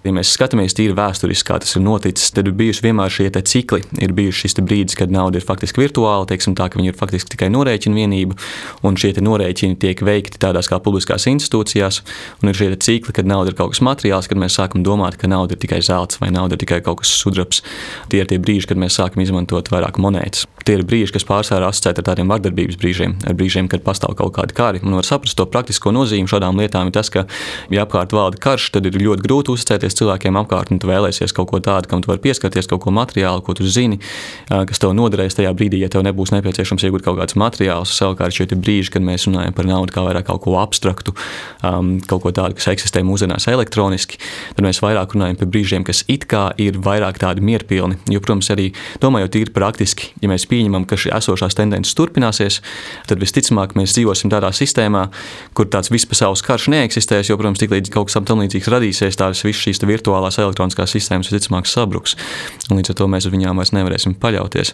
Ja mēs skatāmies tīri vēsturiski, kā tas ir noticis, tad ir bijuši vienmēr šie cikli. Ir bijuši šis brīdis, kad nauda ir faktiski virtuāla, teiksim tā, ka viņi ir faktiski tikai norēķina vienība, un šie norēķini tiek veikti tādās kā publiskās institūcijās, un ir šie cikli, kad nauda ir kaut kas materiāls, kad mēs sākam domāt, ka nauda ir tikai zelts vai nauda ir tikai kaut kas sudrabs. Tie ir tie brīži, kad mēs sākam izmantot vairāk monētas. Tie ir brīži, kas pārsvarā asociēti ar tādiem vardarbības brīžiem, ar brīžiem, kad pastāv kaut kādi kari. Un var saprast to praktisko nozīmi šādām lietām ir tas, ka, ja apkārt valda karš, tad ir ļoti grūti uzticēties cilvēkiem apkārt, un tu vēlēsies kaut ko tādu, kam tu vari pieskarties, kaut ko materiālu, ko tu zini, kas tev noderēs tajā brīdī, ja tev nebūs nepieciešams iegūt kaut kādus materiālus. Savukārt šie brīži, kad mēs runājam par naudu kā vairāk kaut ko abstraktu, kaut ko tādu, kas eksistē mūsdienās elektroniski, tad mēs vairāk runājam par brīžiem, kas it kā ir vairāk tādi mierpilni. Jo, protams, arī domājot tīri praktiski, ja mēs pieņemam, ka šī esošās tendences turpināsies, tad visticamāk mēs dzīvosim tādā sistēmā, kur tāds vispasaules karš neeksistēs, jo, protams, tiklīdz kaut kas tam līdzīgs radīsies, tādas visas šīs virtuālās elektroniskās sistēmas visticamāk sabruks. Un līdz ar to mēs uz viņām vairs nevarēsim paļauties.